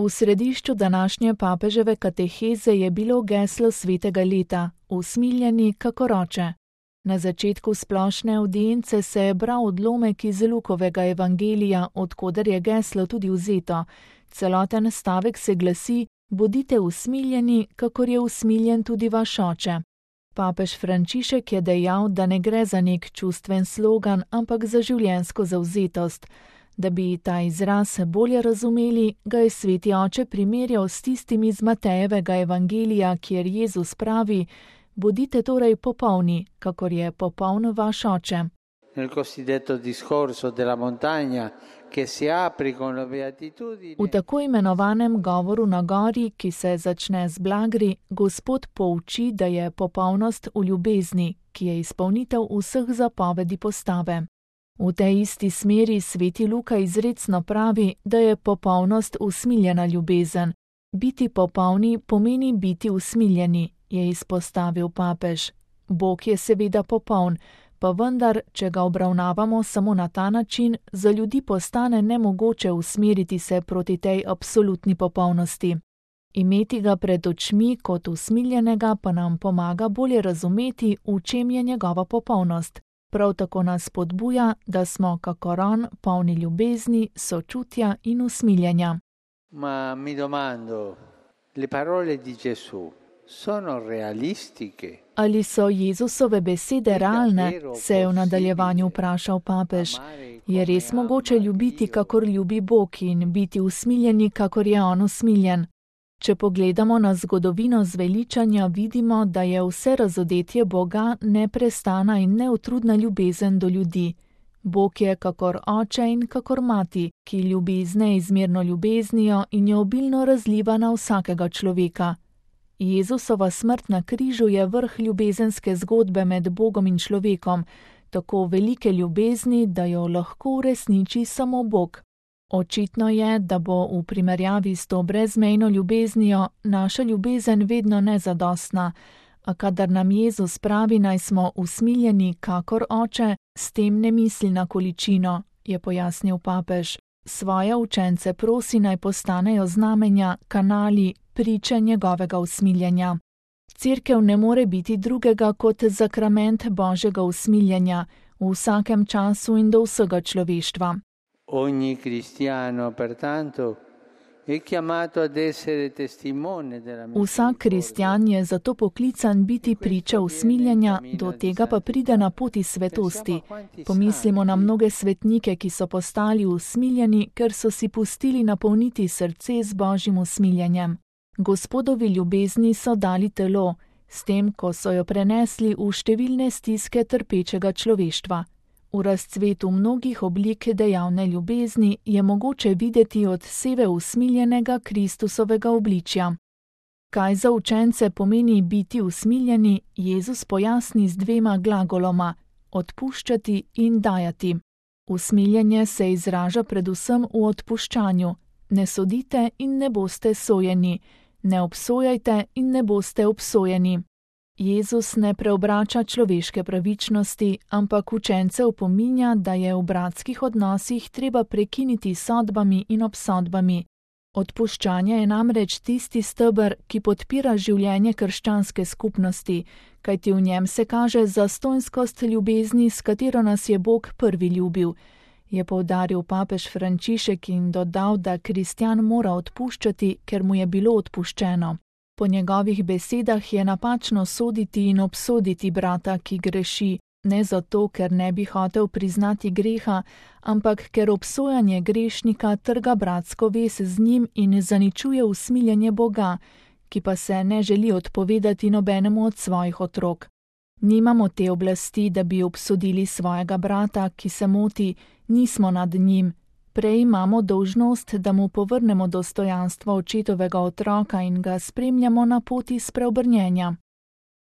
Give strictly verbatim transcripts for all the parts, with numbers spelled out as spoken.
V središču današnje papeževe kateheze je bilo geslo svetega leta, usmiljeni kakor oče. Na začetku splošne avdience se je bral odlomek iz Lukovega evangelija, od koder je geslo tudi vzeto. Celoten stavek se glasi: bodite usmiljeni, kakor je usmiljen tudi vaš oče. Papež Frančišek je dejal, da ne gre za nek čustven slogan, ampak za življenjsko zavzetost. Da bi ta izraz bolje razumeli, ga je sveti oče primerjal s tistim iz Matejevega evangelija, kjer Jezus pravi: bodite torej popolni, kakor je popoln vaš oče. Nel cosiddetto discorso della montagna che si apre con la beatitudine. V tako imenovanem govoru na gori, ki se začne z blagri, Gospod pouči, da je popolnost v ljubezni, ki je izpolnitev vseh zapovedi postave. V tej isti smeri sveti Luka izrecno pravi, da je popolnost usmiljena ljubezen. Biti popolni pomeni biti usmiljeni, je izpostavil papež. Bog je seveda popoln, pa vendar, če ga obravnavamo samo na ta način, za ljudi postane nemogoče usmeriti se proti tej absolutni popolnosti. Imeti ga pred očmi kot usmiljenega pa nam pomaga bolje razumeti, v čem je njegova popolnost. Prav tako nas spodbuja, da smo kakor on polni ljubezni, sočutja in usmiljenja. Ma mi domando, le parole di Gesù sono realistiche? Ali so Jezusove besede realne, se je v nadaljevanju vprašal papež. Je res mogoče ljubiti, kakor ljubi Bog, in biti usmiljeni, kakor je on usmiljen? Če pogledamo na zgodovino zveličanja, vidimo, da je vse razodetje Boga neprestana in neutrudna ljubezen do ljudi. Bog je kakor oče in kakor mati, ki ljubi z neizmerno ljubeznijo in jo obilno razliva na vsakega človeka. Jezusova smrt na križu je vrh ljubezenske zgodbe med Bogom in človekom, tako velike ljubezni, da jo lahko uresniči samo Bog. Očitno je, da bo v primerjavi s to brezmejno ljubeznijo naša ljubezen vedno nezadostna, a kadar nam Jezus pravi, naj smo usmiljeni kakor oče, s tem ne misli na količino, je pojasnil papež. Svoje učence prosi, naj postanejo znamenja, kanali, priče njegovega usmiljenja. Cerkev ne more biti drugega kot zakrament Božjega usmiljenja v vsakem času in do vsega človeštva. Ogni cristiano, pertanto, è chiamato ad essere testimone della messa. Vsak kristjan je zato poklican biti priča usmiljenja, do tega pa pride na poti svetosti. Pomislimo na mnoge svetnike, ki so postali usmiljeni, ker so si pustili napolniti srce z Božjim usmiljenjem. Gospodovi ljubezni so dali telo, s tem, ko so jo prenesli v številne stiske trpečega človeštva. V razcvetu mnogih oblik dejavne ljubezni je mogoče videti odseve usmiljenega Kristusovega obličja. Kaj za učence pomeni biti usmiljeni, Jezus pojasni z dvema glagoloma: odpuščati in dajati. Usmiljenje se izraža predvsem v odpuščanju. Ne sodite in ne boste sojeni, ne obsojajte in ne boste obsojeni. Jezus ne preobrača človeške pravičnosti, ampak učence opominja, da je v bratskih odnosih treba prekiniti sodbami in obsodbami. Odpuščanje je namreč tisti steber, ki podpira življenje krščanske skupnosti, kajti v njem se kaže zastonjskost ljubezni, s katero nas je Bog prvi ljubil, je poudaril papež Frančišek in dodal, da kristjan mora odpuščati, ker mu je bilo odpuščeno. Po njegovih besedah je napačno soditi in obsoditi brata, ki greši, ne zato, ker ne bi hotel priznati greha, ampak ker obsojanje grešnika trga bratsko vez z njim in zaničuje usmiljenje Boga, ki pa se ne želi odpovedati nobenemu od svojih otrok. Nimamo te oblasti, da bi obsodili svojega brata, ki se moti, nismo nad njim. Prej imamo dolžnost, da mu povrnemo dostojanstvo očetovega otroka in ga spremljamo na poti spreobrnjenja.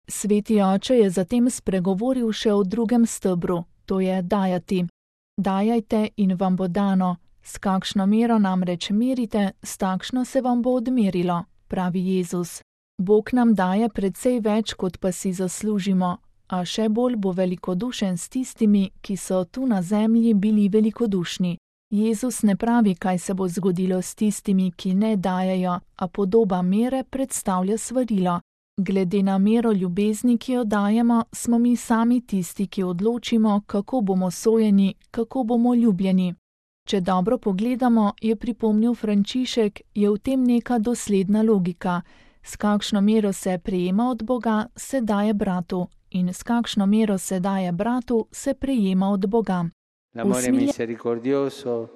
Sveti oče je zatem spregovoril še o drugem stebru, to je dajati. Dajajte in vam bo dano, s kakšno mero namreč merite, s takšno se vam bo odmerilo, pravi Jezus. Bog nam daje precej več, kot pa si zaslužimo, a še bolj bo velikodušen s tistimi, ki so tu na zemlji bili velikodušni. Jezus ne pravi, kaj se bo zgodilo s tistimi, ki ne dajejo, a podoba mere predstavlja svarilo. Glede na mero ljubezni, ki jo dajemo, smo mi sami tisti, ki odločimo, kako bomo sojeni, kako bomo ljubljeni. Če dobro pogledamo, je pripomnil Frančišek, je v tem neka dosledna logika. S kakšno mero se prejema od Boga, se daje bratu, in s kakšno mero se daje bratu, se prejema od Boga. L'amore misericordioso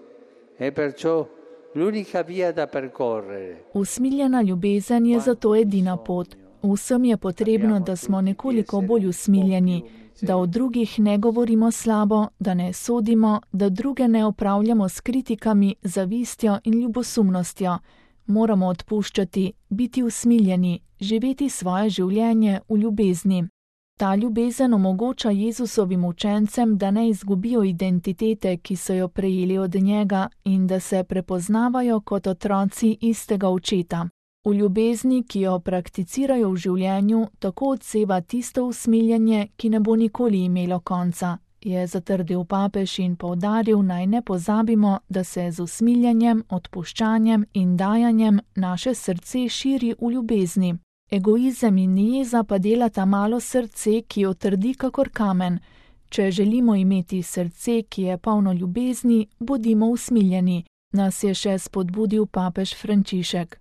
è perciò l'unica via da percorrere. Usmiljena ljubezen je zato edina pot. Vsem je potrebno, da smo nekoliko bolj usmiljeni, da o drugih ne govorimo slabo, da ne sodimo, da druge ne opravljamo s kritikami, zavistjo in ljubosumnostjo. Moramo odpuščati, biti usmiljeni, živeti svoje življenje v ljubezni. Ta ljubezen omogoča Jezusovim učencem, da ne izgubijo identitete, ki so jo prejeli od njega, in da se prepoznavajo kot otroci istega očeta. V ljubezni, ki jo prakticirajo v življenju, tako odseva tisto usmiljenje, ki ne bo nikoli imelo konca, je zatrdil papež in poudaril, naj ne pozabimo, da se z usmiljenjem, odpuščanjem in dajanjem naše srce širi v ljubezni. Egoizem in jeza pa delata malo srce, ki jo trdi kakor kamen. Če želimo imeti srce, ki je polno ljubezni, bodimo usmiljeni, nas je še spodbudil papež Frančišek.